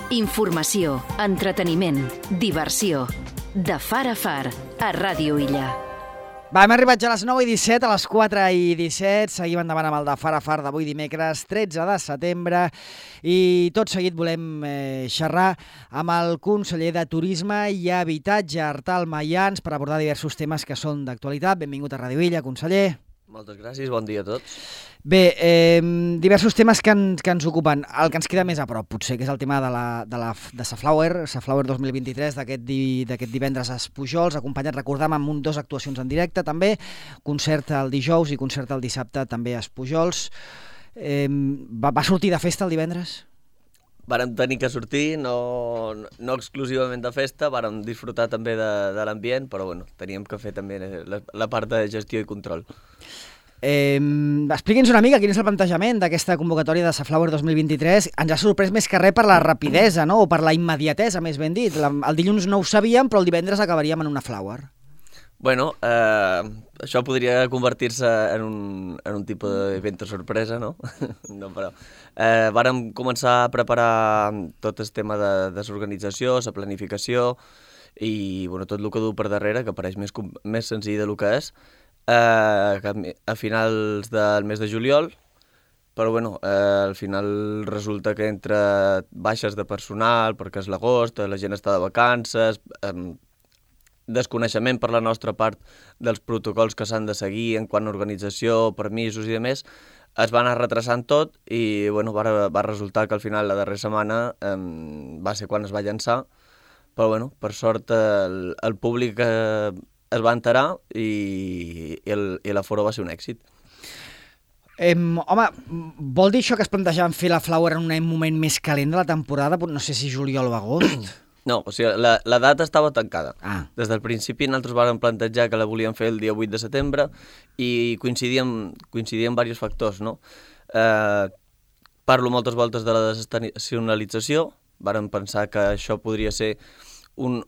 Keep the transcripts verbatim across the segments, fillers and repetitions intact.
Informació, entreteniment, diversió. De far a far, a Ràdio Illa. Va, hem arribat ja a les nou i disset, a les quatre i disset. Seguim endavant amb el de Far a Far d'avui dimecres, tretze de setembre. I tot seguit volem eh, xerrar amb el conseller de Turisme i Habitatge, Artal Mayans, per abordar diversos temes que són d'actualitat. Benvingut a Ràdio Illa, conseller. Moltes gràcies, bon dia a tots. Bé, eh, diversos temes que, en, que ens ocupen. El que ens queda més a prop, potser, que és el tema de la, de la de Saflower, Saflower dos mil vint-i-tres, d'aquest di, d'aquest divendres a Pujols, acompanyat, recordam, amb un, dos actuacions en directe, també, concert el dijous i concert el dissabte, també a Pujols. Eh, va, va sortir de festa el divendres? Vàrem tenir que sortir, no, no exclusivament de festa, vàrem disfrutar també de, de l'ambient, però bueno, teníem que fer també la, la part de gestió i control. Eh, Expliqui'ns una mica quin és el plantejament d'aquesta convocatòria de Saflower dos mil vint-i-tres. Ens ha sorprès més que res per la rapidesa, no? O per la immediatesa, més ben dit. La, el dilluns no ho sabíem, però el divendres acabaríem en una flower. Bueno, eh, això podria convertir-se en un, en un tipus d'event sorpresa, no? no però, eh, vàrem començar a preparar tot el tema de desorganització, la planificació i bueno, tot el que du per darrere, que pareix més, més senzill del que és, eh, a finals del mes de juliol, però bueno, eh, al final resulta que entre baixes de personal, perquè és l'agost, la gent està de vacances, eh, desconeixement per la nostra part dels protocols que s'han de seguir en quant a organització, permisos i demés, es va anar retrasant tot i bueno, va, va resultar que al final la darrera setmana eh, va ser quan es va llançar, però bueno, per sort el, el públic eh, es va enterar i, i, el, i l'aforo va ser un èxit. Eh, home, vol dir això que es plantejaven fer la flower en un moment més calent de la temporada? No sé si juliol o agost? No, o sigui, la, la data estava tancada. Ah. Des del principi nosaltres vam plantejar que la volíem fer el dia vuit de setembre i coincidíem, coincidíem diversos factors, no? Eh, parlo moltes voltes de la desestacionalització. Vàrem pensar que això podria ser un,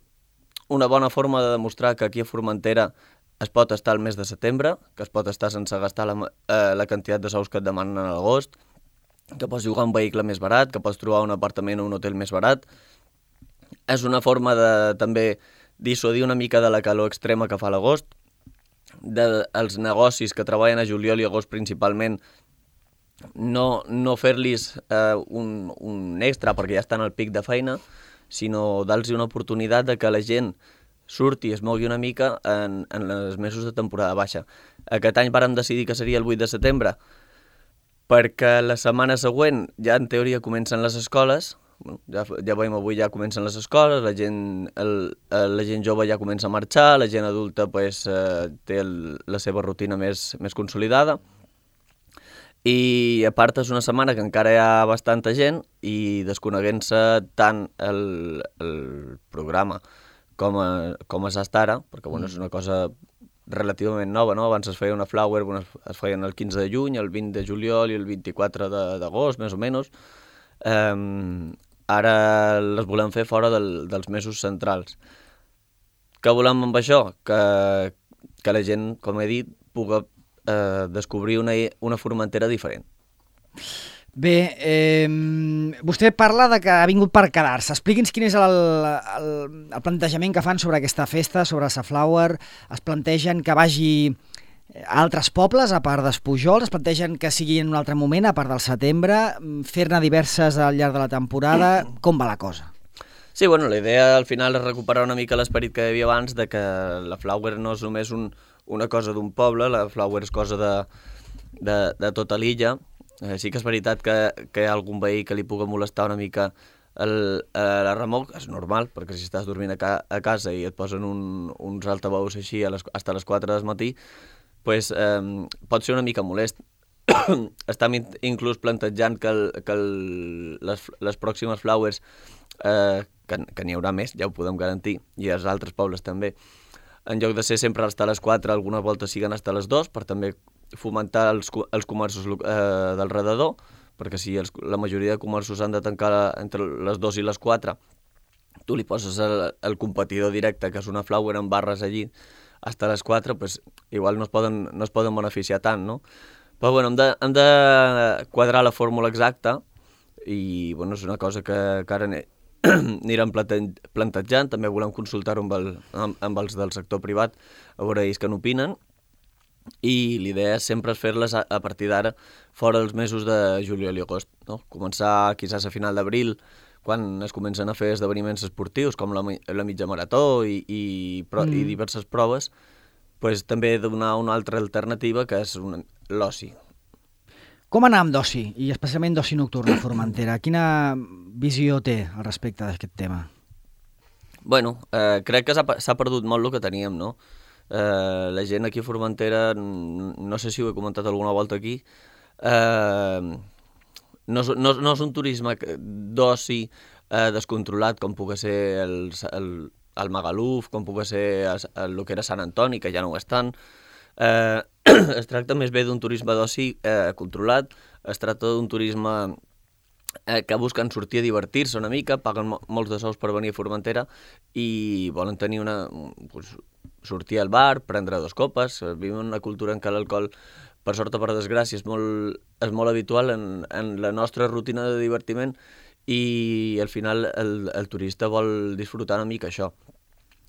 una bona forma de demostrar que aquí a Formentera es pot estar el mes de setembre, que es pot estar sense gastar la, eh, la quantitat de sous que et demanen a l'agost, que pots llogar un vehicle més barat, que pots trobar un apartament o un hotel més barat. És una forma de també dissuadir una mica de la calor extrema que fa a l'agost, dels negocis que treballen a juliol i agost principalment, no, no fer-los eh, un, un extra perquè ja estan al pic de feina, sinó dar-los una oportunitat de que la gent surti i es mogui una mica en, en els mesos de temporada baixa. Aquest any vàrem decidir que seria el vuit de setembre perquè la setmana següent ja en teoria comencen les escoles. Bueno, ja, ja veiem, avui ja comencen les escoles, la gent, el, la gent jove ja comença a marxar, la gent adulta pues, eh, té el, la seva rutina més, més consolidada. I a part és una setmana que encara hi ha bastanta gent i desconeguent-se tant el, el programa com, a, com es està ara, perquè bueno, és una cosa relativament nova, no? Abans es feia una flower, bueno, es feien el quinze de juny, el vint de juliol i el vint-i-quatre d'agost, més o menys. Um, ara les volem fer fora del, dels mesos centrals. Què volem amb això? Que, que la gent, com he dit, pugui eh, descobrir una, una Formentera diferent. Bé, eh, vostè parla de que ha vingut per quedar-se. Expliqui'ns quin és el, el, el plantejament que fan sobre aquesta festa, sobre Saflower. Es plantegen que vagi a altres pobles, a part d'Espujols, es plantegen que sigui en un altre moment, a part del setembre, fer-ne diverses al llarg de la temporada. Com va la cosa? Sí, bueno, la idea al final és recuperar una mica l'esperit que hi havia abans, de que la flower no és només un, una cosa d'un poble, la flower és cosa de, de, de tota l'illa. Eh, sí que és veritat que, que hi ha algun veí que li pugui molestar una mica el, eh, la remor, és normal, perquè si estàs dormint a, ca, a casa i et posen un, uns altaveus així a les, fins a les quatre del matí, pues, eh, pot ser una mica molest. Estem inclús plantejant que, el, que el, les, les pròximes flowers, eh, que, que n'hi haurà més, ja ho podem garantir, i als altres pobles també, en lloc de ser sempre fins a les quatre, algunes voltes siguen fins a les dues, per també fomentar els, els comerços eh, del redador, perquè si els, la majoria de comerços han de tancar entre les dues i les quatre, tu li poses el, el competidor directe, que és una flower amb barres allí, fins a les quatre, pues, igual no es, poden, no es poden beneficiar tant, no? Però bueno, hem de, hem de quadrar la fórmula exacta i bueno, és una cosa que, que ara anirem plantejant, també volem consultar-ho amb, el, amb, amb els del sector privat, a veure ells què n'opinen, i l'idea sempre és fer-les a, a partir d'ara fora els mesos de juliol i agost, no? Començar quizás a final d'abril, quan es comencen a fer esdeveniments esportius com la, la mitja marató i, i, pro, mm. i diverses proves, pues, també donar una altra alternativa que és una, l'oci. Com anar amb d'oci, i especialment d'oci nocturn a Formentera? Quina visió té al respecte d'aquest tema? Bueno, eh, crec que s'ha perdut molt el que teníem, no? Eh, la gent aquí a Formentera, no sé si ho he comentat alguna volta aquí, eh, no, no, no és un turisme d'oci eh, descontrolat com pugui ser el, el, el Magaluf, com pugui ser el, el que era Sant Antoni, que ja no ho és tant. Eh, es tracta més bé d'un turisme d'oci eh, controlat, es tracta d'un turisme eh, que busquen sortir a divertir-se una mica, paguen mo molts de sous per venir a Formentera i volen tenir una... Pues, sortir al bar, prendre dos copes, vivim en una cultura en què l'alcohol, per sort o per desgràcia, és molt, és molt habitual en, en la nostra rutina de divertiment i al final el, el turista vol disfrutar una mica això.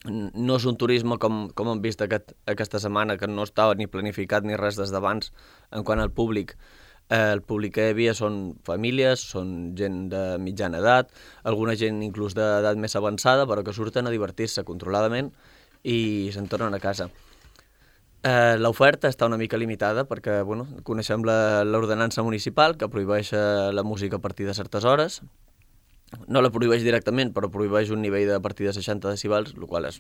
No és un turisme com, com hem vist aquest, aquesta setmana, que no estava ni planificat ni res des d'abans en quant al públic. Eh, el públic que hi havia són famílies, són gent de mitjana edat, alguna gent inclús d'edat més avançada, però que surten a divertir-se controladament i se'n tornen a casa. Eh, L'oferta està una mica limitada perquè bueno, coneixem l'ordenança municipal que prohibeix la música a partir de certes hores. No la prohibeix directament, però prohibeix un nivell de a partir de seixanta decibels, el qual és,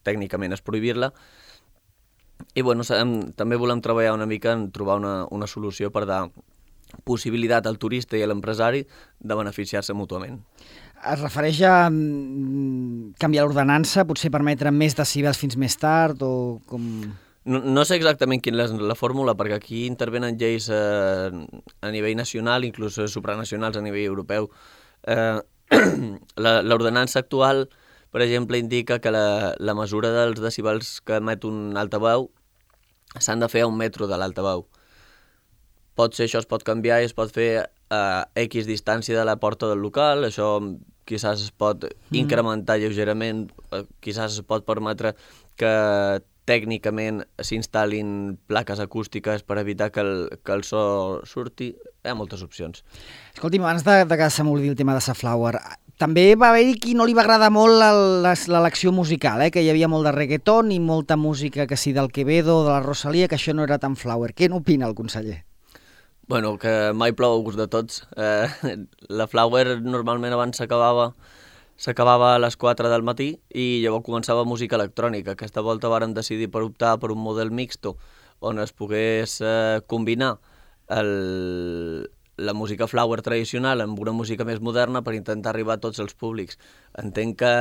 tècnicament és prohibir-la. I bueno, també volem treballar una mica en trobar una, una solució per dar possibilitat al turista i a l'empresari de beneficiar-se mútuament. Es refereix a canviar l'ordenança, potser permetre més decibels fins més tard o com... No, no sé exactament quina és la fórmula, perquè aquí intervenen lleis eh, a nivell nacional, inclús supranacionals a nivell europeu. Eh, l'ordenança actual, per exemple, indica que la, la mesura dels decibels que emet un altaveu s'han de fer a un metro de l'altaveu. Pot ser això, es pot canviar i es pot fer a X distància de la porta del local, això quizás es pot incrementar lleugerament, quizás es pot permetre que tècnicament s'instal·lin plaques acústiques per evitar que el, que el so surti. Hi ha moltes opcions. Escolti'm, abans de, de que se m'oblidi el tema de Safflower, també va haver-hi qui no li va agradar molt l'elecció musical, eh? Que hi havia molt de reggaeton i molta música que sí del Quevedo, de la Rosalía, que això no era tan flower. Què n'opina el conseller? Bueno, que mai plou a gust de tots. Eh, la Flower normalment abans s'acabava s'acabava a les quatre del matí i llavors començava música electrònica. Aquesta volta vàrem decidir per optar per un model mixto on es pogués eh, combinar el, la música Flower tradicional amb una música més moderna per intentar arribar a tots els públics. Entenc que,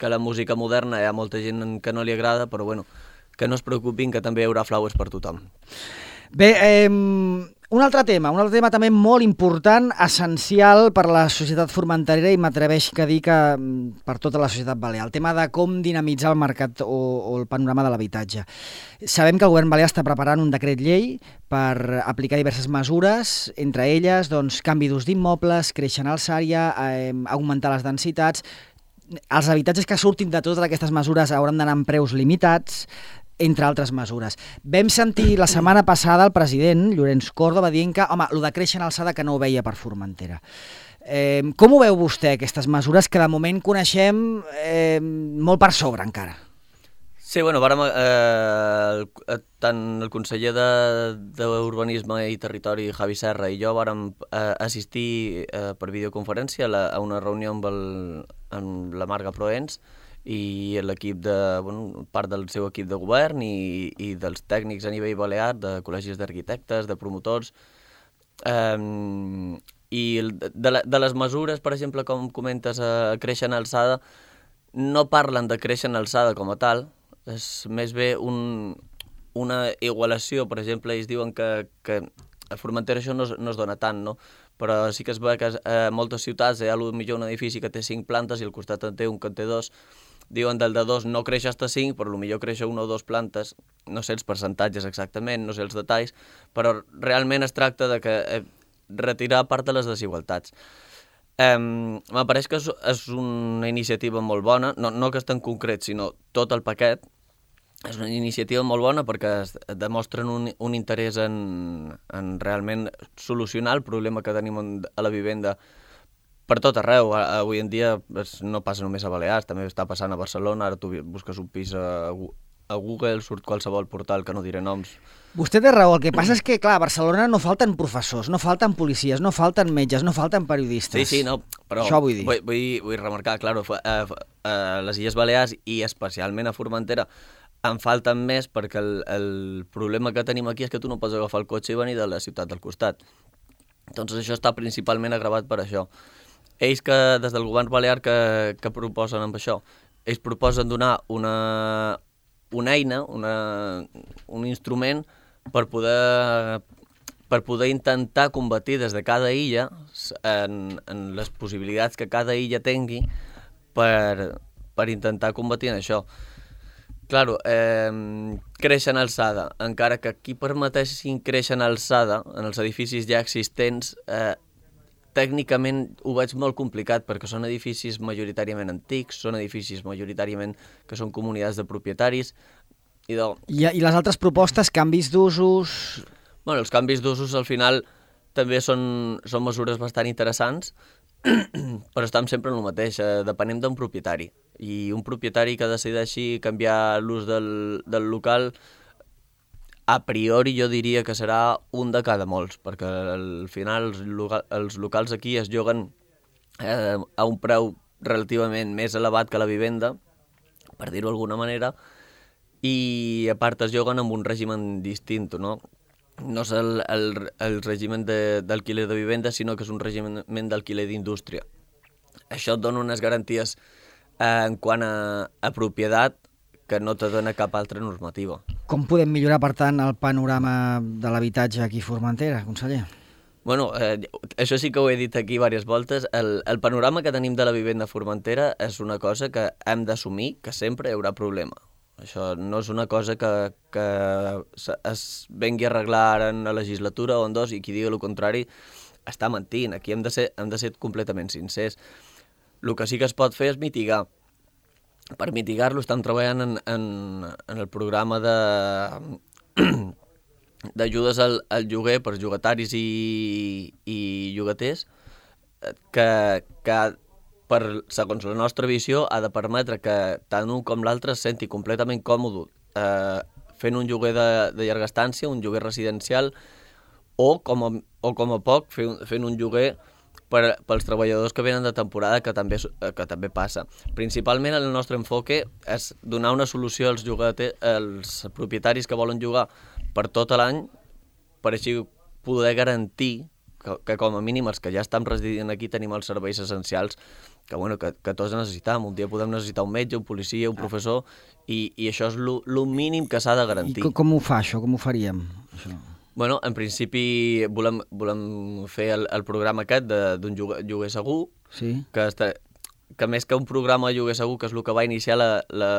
que la música moderna hi ha molta gent que no li agrada, però bueno, que no es preocupin, que també hi haurà Flowers per tothom. Bé, eh, un altre tema, un altre tema també molt important, essencial per la societat formenterera i m'atreveix a dir que per tota la societat balear, el tema de com dinamitzar el mercat o, o el panorama de l'habitatge. Sabem que el govern balear està preparant un decret llei per aplicar diverses mesures, entre elles doncs, canvi d'ús d'immobles, créixer en alçària, eh, augmentar les densitats. Els habitatges que surtin de totes aquestes mesures hauran d'anar amb preus limitats, entre altres mesures. Vam sentir la setmana passada el president, Llorenç Córdoba, dient que, home, el de créixer en alçada que no ho veia per Formentera. Eh, com ho veu vostè, aquestes mesures que de moment coneixem eh, molt per sobre encara? Sí, bueno, vàrem, eh, tant el conseller d'Urbanisme i Territori, Javi Serra, i jo vàrem eh, assistir eh, per videoconferència a, la, a una reunió amb, el, amb la Marga Proens, i l'equip de, bueno, part del seu equip de govern i, i dels tècnics a nivell balear, de col·legis d'arquitectes, de promotors. Um, I de, la, de les mesures, per exemple, com comentes, a créixer en alçada, no parlen de créixer en alçada com a tal, és més bé un, una igualació. Per exemple, ells diuen que, que a Formentera això no es, no es dona tant, no? Però sí que es veu que a moltes ciutats hi ha potser un edifici que té cinc plantes i al costat en té un que en té dos. Diuen del de dos no creix fins a cinc, però potser creix una o dues plantes. No sé els percentatges exactament, no sé els detalls, però realment es tracta de que, eh, retirar part de les desigualtats. Um, M'apareix que és, és una iniciativa molt bona, no, no aquesta en concret, sinó tot el paquet. És una iniciativa molt bona perquè es demostren un, un interès en, en realment solucionar el problema que tenim a la vivenda per tot arreu. Avui en dia no passa només a Balears, també està passant a Barcelona. Ara tu busques un pis a, a Google, surt qualsevol portal que no diré noms. Vostè té raó, el que passa és que, clar, a Barcelona no falten professors, no falten policies, no falten metges, no falten periodistes. Sí, sí, no, però això vull dir. Vull, vull, vull remarcar, clar, a, a les Illes Balears i especialment a Formentera en falten més perquè el, el problema que tenim aquí és que tu no pots agafar el cotxe i venir de la ciutat del costat. Doncs això està principalment agravat per això. Ells que, des del govern balear, que, que proposen amb això? Ells proposen donar una, una eina, una, un instrument per poder, per poder intentar combatir des de cada illa en, en les possibilitats que cada illa tingui per, per intentar combatir en això. Claro, eh, créixer en alçada, encara que aquí permetessin créixer en alçada, en els edificis ja existents, eh, tècnicament ho veig molt complicat perquè són edificis majoritàriament antics, són edificis majoritàriament que són comunitats de propietaris. I, de... I, i les altres propostes, canvis d'usos... Bueno, els canvis d'usos al final també són, són mesures bastant interessants, però estem sempre en el mateix, eh, depenem d'un propietari. I un propietari que decideixi canviar l'ús del, del local, a priori jo diria que serà un de cada molts, perquè al final els, loca els locals aquí es lloguen eh, a un preu relativament més elevat que la vivenda, per dir-ho d'alguna manera, i a part es lloguen amb un règim distint, no? No és el, el, el règim d'alquiler de, de vivenda, sinó que és un règim d'alquiler d'indústria. Això et dona unes garanties eh, en quant a, a propietat que no te dona cap altra normativa. Com podem millorar, per tant, el panorama de l'habitatge aquí a Formentera, conseller? Bueno, eh, això sí que ho he dit aquí diverses voltes. El, el panorama que tenim de la vivenda a Formentera és una cosa que hem d'assumir que sempre hi haurà problema. Això no és una cosa que, que es vengui a arreglar ara en la legislatura o en dos, i qui digui el contrari està mentint. Aquí hem de ser, hem de ser completament sincers. El que sí que es pot fer és mitigar. Per mitigar-lo estem treballant en, en, en el programa d'ajudes al, al lloguer per llogataris i, i llogaters que, que per, segons la nostra visió ha de permetre que tant un com l'altre es senti completament còmode eh, fent un lloguer de, de llarga estància, un lloguer residencial o com a, o com a poc fent, fent un lloguer per, pels treballadors que venen de temporada, que també, que també passa. Principalment el nostre enfoque és donar una solució als, llogater, als propietaris que volen llogar per tot l'any, per així poder garantir que, que com a mínim els que ja estan residint aquí tenim els serveis essencials que, bueno, que, que tots necessitam. Un dia podem necessitar un metge, un policia, un professor, i, i això és el mínim que s'ha de garantir. I com ho fa això? Com ho faríem, això? Bueno, en principi volem, volem fer el, el programa aquest d'un lloguer, lloguer segur, sí. que, està, que més que un programa de lloguer segur, que és el que va iniciar la, la,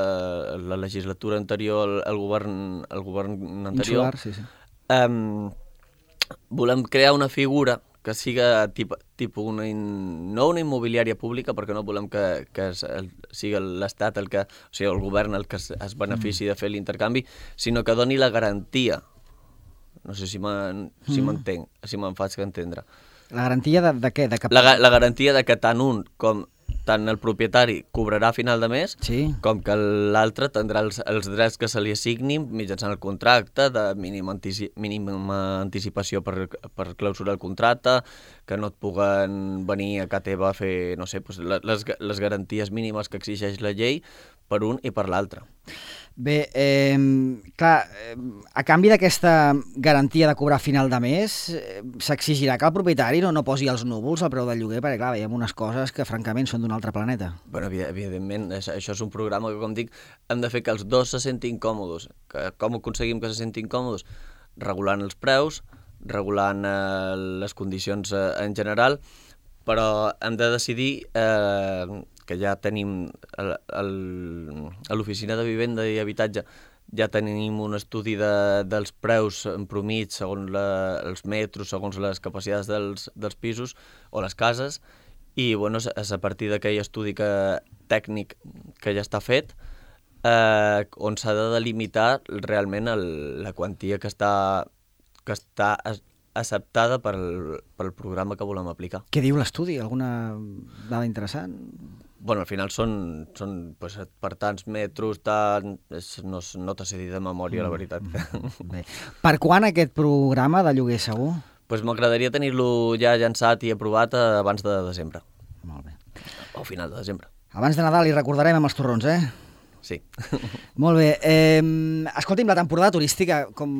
la legislatura anterior, el, el, govern, el govern anterior, Insular, sí, sí. Um, volem crear una figura que siga tipus, tipus una in, no una immobiliària pública, perquè no volem que, que es, el, sigui l'Estat, el que, o sigui, el govern el que es, es benefici de fer l'intercanvi, sinó que doni la garantia. No sé si m'entenc, si si me'n faig entendre. La garantia de, de què? De cap... la, la garantia de que tant un com tant el propietari cobrarà a final de mes, sí. com que l'altre tindrà els, els drets que se li assignin mitjançant el contracte, de mínima, antici, mínima anticipació per, per clausurar el contracte, que no et puguen venir a casa teva a fer, no sé, les, les garanties mínimes que exigeix la llei per un i per l'altre. Bé, eh, clar, eh, a canvi d'aquesta garantia de cobrar a final de mes, eh, s'exigirà que el propietari no, no posi els núvols al preu del lloguer, perquè clar, veiem unes coses que francament són d'un altre planeta. Bueno, evidentment, això és un programa que, com dic, hem de fer que els dos se sentin còmodes. Que, com aconseguim que se sentin còmodes? Regulant els preus, regulant eh, les condicions eh, en general, però hem de decidir... Eh, que ja tenim el, el, a l'oficina de vivenda i habitatge, ja tenim un estudi de, dels preus en promig segons la, els metros, segons les capacitats dels, dels pisos o les cases, i bueno, és a partir d'aquell estudi que, tècnic que ja està fet, eh, on s'ha de delimitar realment el, la quantia que està, que està acceptada pel, pel programa que volem aplicar. Què diu l'estudi? Alguna dada interessant? Bueno, al final són, són pues, per tants metres, tant... És, no, no t'ho sé dir de memòria, la veritat. Bé. Per quan aquest programa de lloguer segur? Pues m'agradaria tenir-lo ja llançat i aprovat abans de desembre. Molt bé. O final de desembre. Abans de Nadal hi recordarem amb els torrons, eh? Sí. Molt bé. Eh, escolti'm, la temporada turística, com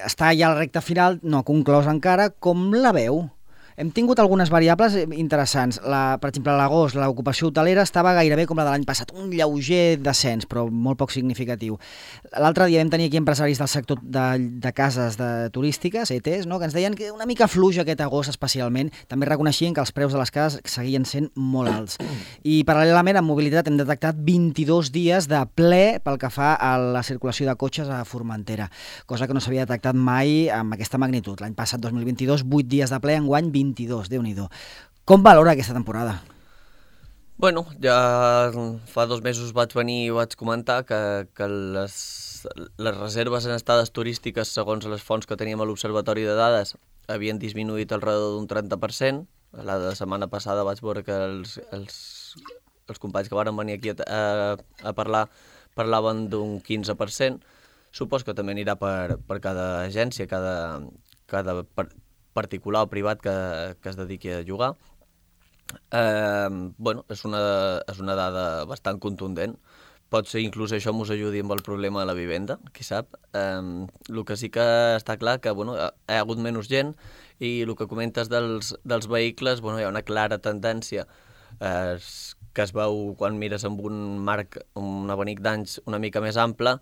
està ja a la recta final, no ha conclòs encara, com la veu? Hem tingut algunes variables interessants. La, per exemple, a l'agost l'ocupació hotelera estava gairebé com la de l'any passat, un lleuger descens, però molt poc significatiu. L'altre dia vam tenir aquí empresaris del sector de, de cases de turístiques, E Ts, no? Que ens deien que una mica fluix aquest agost especialment. També reconeixien que els preus de les cases seguien sent molt alts. I paral·lelament, en mobilitat hem detectat vint-i-dos dies de ple pel que fa a la circulació de cotxes a Formentera, cosa que no s'havia detectat mai amb aquesta magnitud. L'any passat, dos mil vint-i-dos, vuit dies de ple, enguany vint-i-dos, Déu-n'hi-do. Com valora aquesta temporada? Bueno, ja fa dos mesos vaig venir i vaig comentar que, que les, les reserves en estades turístiques, segons les fonts que teníem a l'Observatori de Dades, havien disminuït alrededor d'un trenta per cent. La de setmana passada vaig veure que els, els, els companys que varen venir aquí a, a, a parlar parlaven d'un quinze per cent. Supos que també anirà per, per cada agència, cada, cada particular o privat que, que es dediqui a llogar. Eh, bueno, és una, és una dada bastant contundent. Pot ser inclús això mos ajudi amb el problema de la vivenda, qui sap. Eh, el que sí que està clar que bueno, hi ha hagut menys gent i el que comentes dels, dels vehicles, bueno, hi ha una clara tendència eh, que es veu quan mires amb un marc, un abanic d'anys una mica més ample.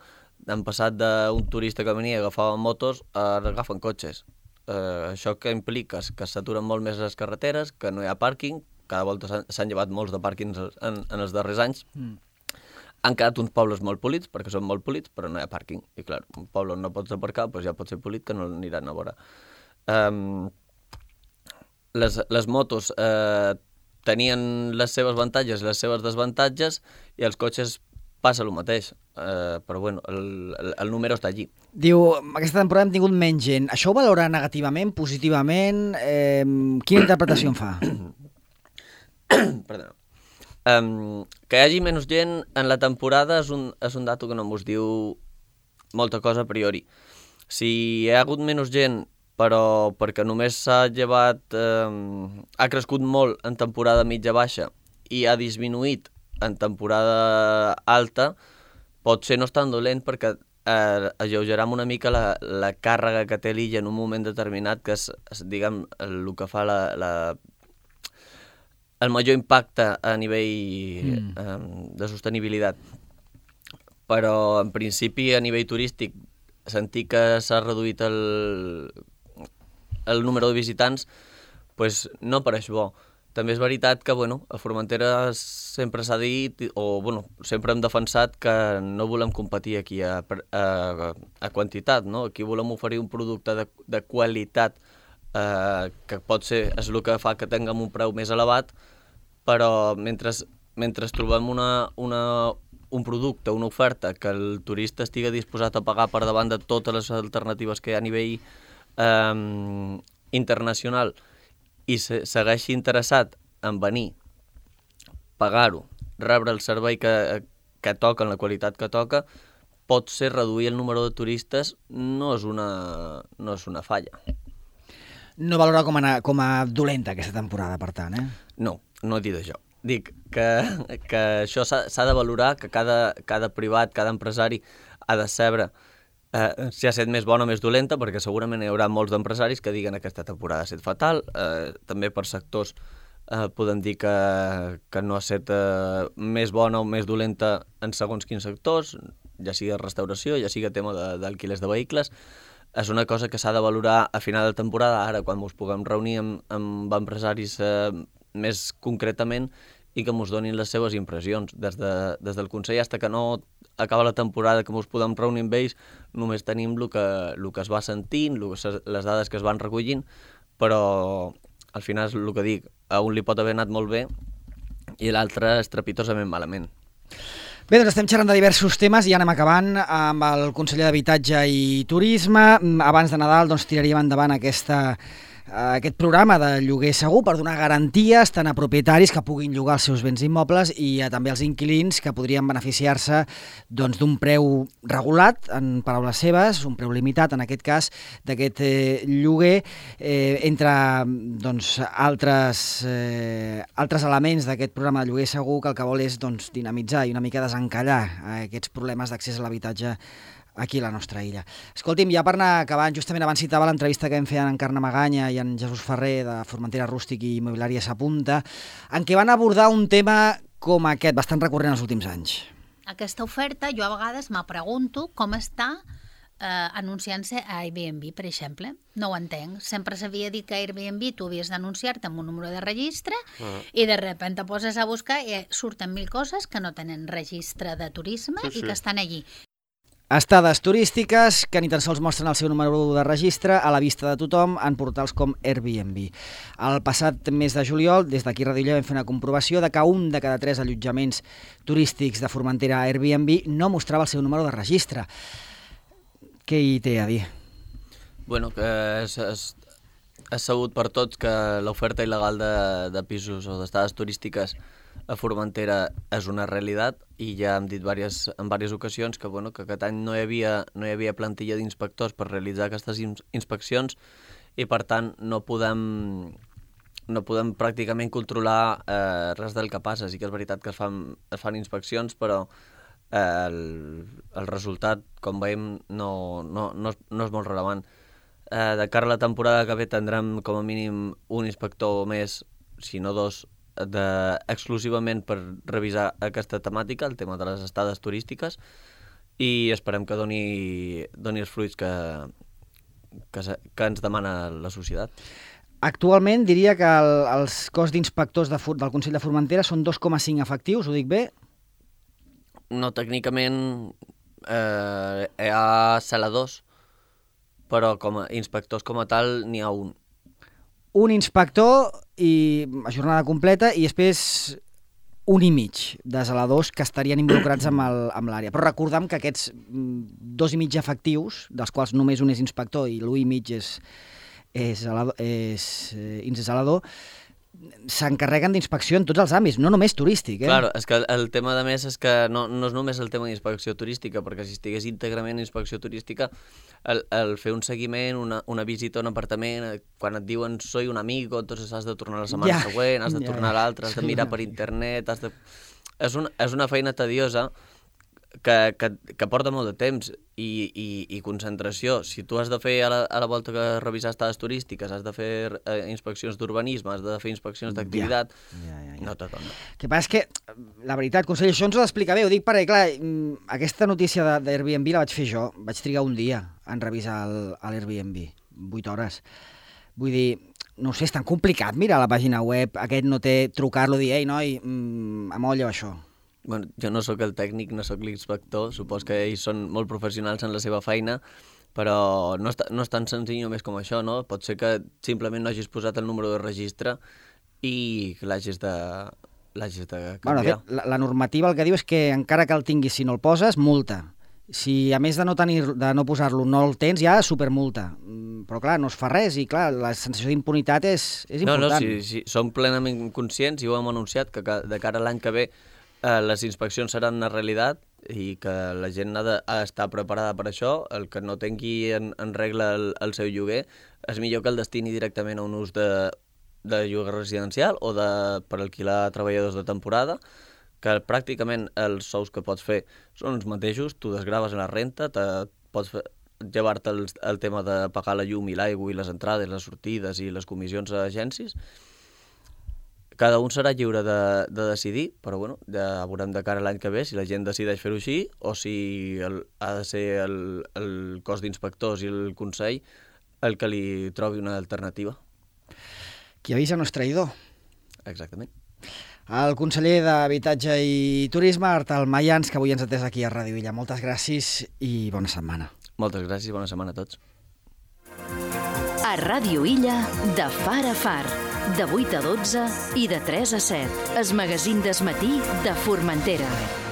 Han passat d'un turista que venia i agafava motos a agafen cotxes. Uh, això que implica que s'aturen molt més les carreteres, que no hi ha pàrquing, cada volta s'han llevat molts de pàrquings en, en els darrers anys. Mm. Han quedat uns pobles molt polits, perquè són molt polits, però no hi ha pàrquing. I clar, un poble on no pots aparcar, doncs ja pot ser polit que no l'aniran a veure. Um, les, les motos uh, tenien les seves avantatges i les seves desavantatges, i els cotxes passa el mateix, uh, però bueno, el, el, el número està allí. Diu, aquesta temporada hem tingut menys gent. Això ho valora negativament, positivament? Eh, quina interpretació en fa? Perdó. Um, que hi hagi menys gent en la temporada és un, és un dato que no mos diu molta cosa a priori. Si hi ha hagut menys gent, però perquè només s'ha llevat, um, ha crescut molt en temporada mitja-baixa i ha disminuït en temporada alta, pot ser no és tan dolent perquè eh, alleugeram una mica la, la càrrega que té l'illa en un moment determinat, que és, és diguem, el, el que fa la, la, el major impacte a nivell mm. eh, de sostenibilitat. Però, en principi, a nivell turístic, sentir que s'ha reduït el, el número de visitants, pues, no pareix bo. També és veritat que, bueno, a Formentera sempre s'ha dit, o, bueno, sempre hem defensat que no volem competir aquí a, a, a quantitat, no? Aquí volem oferir un producte de, de qualitat eh, que pot ser, és el que fa que tinguem un preu més elevat, però mentre, mentre trobem una, una, un producte, una oferta que el turista estigui disposat a pagar per davant de totes les alternatives que hi ha a nivell eh, internacional, i se segueixi interessat en venir, pagar-ho, rebre el servei que, que toca, en la qualitat que toca, pot ser reduir el número de turistes, no és una, no és una falla. No valora com a, com a dolenta aquesta temporada, per tant, eh? No, no he dit això. Dic que, que això s'ha de valorar, que cada, cada privat, cada empresari ha de saber Eh, si ha estat més bona o més dolenta, perquè segurament hi haurà molts d'empresaris que diguen que aquesta temporada ha estat fatal. Eh, també per sectors eh, podem dir que, que no ha estat eh, més bona o més dolenta en segons quins sectors, ja sigui restauració, ja sigui tema d'alquilers de, de vehicles. És una cosa que s'ha de valorar a final de temporada, ara quan ens puguem reunir amb, amb empresaris eh, més concretament i que ens donin les seves impressions. Des, de, des del Consell fins que no acaba la temporada, que ens podem reunir amb ells, només tenim el que, el que es va sentint, el que, les dades que es van recollint, però al final és el que dic, a un li pot haver anat molt bé i l'altre estrepitosament malament. Bé, doncs estem xerrant de diversos temes i anem acabant amb el conseller d'Habitatge i Turisme. Abans de Nadal doncs, tiraríem endavant aquesta, aquest programa de lloguer segur per donar garanties tant a propietaris que puguin llogar els seus béns immobles i a, també als inquilins que podrien beneficiar-se doncs, d'un preu regulat, en paraules seves, un preu limitat, en aquest cas, d'aquest eh, lloguer, eh, entre doncs, altres, eh, altres elements d'aquest programa de lloguer segur que el que vol és doncs, dinamitzar i una mica desencallar eh, aquests problemes d'accés a l'habitatge aquí a la nostra illa. Escolti'm, ja per anar acabant, justament abans citava l'entrevista que vam fer en Encarna Maganya i en Jesús Ferrer de Formentera Rústic i Immobiliària S'Apunta, en què van abordar un tema com aquest, bastant recurrent els últims anys. Aquesta oferta, jo a vegades me pregunto com està eh, anunciant-se a Airbnb, per exemple. No ho entenc. Sempre s'havia dit que a Airbnb tu havies d'anunciar-te amb un número de registre uh-huh. i de repente te poses a buscar i surten mil coses que no tenen registre de turisme sí, sí. i que estan allí. Estades turístiques que ni tan sols mostren el seu número de registre a la vista de tothom en portals com Airbnb. El passat mes de juliol, des d'aquí a Ràdio Illa vam fer una comprovació de que un de cada tres allotjaments turístics de Formentera a Airbnb no mostrava el seu número de registre. Què hi té a dir? Bueno, que és, és, és sabut per tots que l'oferta il·legal de, de pisos o d'estades turístiques a Formentera és una realitat i ja hem dit diverses, en diverses ocasions que, bueno, que aquest any no hi havia, no hi havia plantilla d'inspectors per realitzar aquestes inspeccions i per tant no podem, no podem pràcticament controlar eh, res del que passa. Sí que és veritat que es fan, es fan inspeccions, però eh, el, el resultat, com veiem, no, no, no, és, no és molt relevant. Eh, de cara a la temporada que ve tindrem com a mínim un inspector més, si no dos, de, exclusivament per revisar aquesta temàtica, el tema de les estades turístiques, i esperem que doni, doni els fruits que, que, que ens demana la societat. Actualment diria que el, els cos d'inspectors de, del Consell de Formentera són dos coma cinc efectius, ho dic bé? No, tècnicament eh, hi ha celadors, però com a inspectors com a tal n'hi ha un. Un inspector i a jornada completa i després un i mig de zeladors que estarien involucrats amb l'àrea. Però recordem que aquests dos i mig efectius, dels quals només un és inspector i l'u i mig és, és, zelador, és eh, zelador, s'encarreguen d'inspecció en tots els àmbits, no només turístic. Eh? Claro, és que el tema de més és que no, no és només el tema d'inspecció turística, perquè si estigués íntegrament en inspecció turística, el, el fer un seguiment, una, una visita a un apartament, quan et diuen soy un amigo, entonces has de tornar la setmana ja, següent, has de ja, tornar l'altra, has de mirar per internet, has de... És, un, és una feina tediosa que, que, que porta molt de temps i, i, i concentració. Si tu has de fer a la, a la volta que revisar estades turístiques, has de fer eh, inspeccions d'urbanisme, has de fer inspeccions d'activitat, ja, ja, ja, ja. no te dona. El que passa és que, la veritat, conseller, això ens ho ha d'explicar bé, ho dic perquè, clar, aquesta notícia d'Airbnb la vaig fer jo, vaig trigar un dia en revisar l'Airbnb, vuit hores. Vull dir, no ho sé, és tan complicat mirar la pàgina web, aquest no té trucar-lo i dir, ei, noi, mm, amolla això. Bueno, jo no sóc el tècnic, no sóc l'inspector, supos que ells són molt professionals en la seva feina, però no és, no és tan senzill només com això, no? Pot ser que simplement no hagis posat el número de registre i que l'hagis de, l'hagis de canviar. Bueno, la, la normativa el que diu és que encara que el tinguis, si no el poses, multa. Si a més de no, tenir, de no posar-lo no el tens, ja supermulta. Però clar, no es fa res i clar, la sensació d'impunitat és, és important. No, no, sí, sí, som plenament conscients i ho hem anunciat que de cara a l'any que ve Eh, les inspeccions seran una realitat i que la gent ha d'estar preparada per això. El que no tingui en, en regla el, el seu lloguer és millor que el destini directament a un ús de, de lloguer residencial o de, per alquilar a treballadors de temporada, que pràcticament els sous que pots fer són els mateixos, tu desgraves la renta, te, pots fer, llevar-te el, el tema de pagar la llum i l'aigua i les entrades, les sortides i les comissions a agències. Cada un serà lliure de, de decidir, però bueno, ja veurem de cara a l'any que ve si la gent decideix fer-ho així o si el, ha de ser el, el cos d'inspectors i el Consell el que li trobi una alternativa. Qui avisa no és traïdor. Exactament. El conseller d'Habitatge i Turisme, Artal Mayans, que avui ens ha atès aquí a Ràdio Illa. Moltes gràcies i bona setmana. Moltes gràcies i bona setmana a tots. A Ràdio Illa, de far a far. de vuit a dotze i de tres a set. El magazín d'Esmatí de Formentera.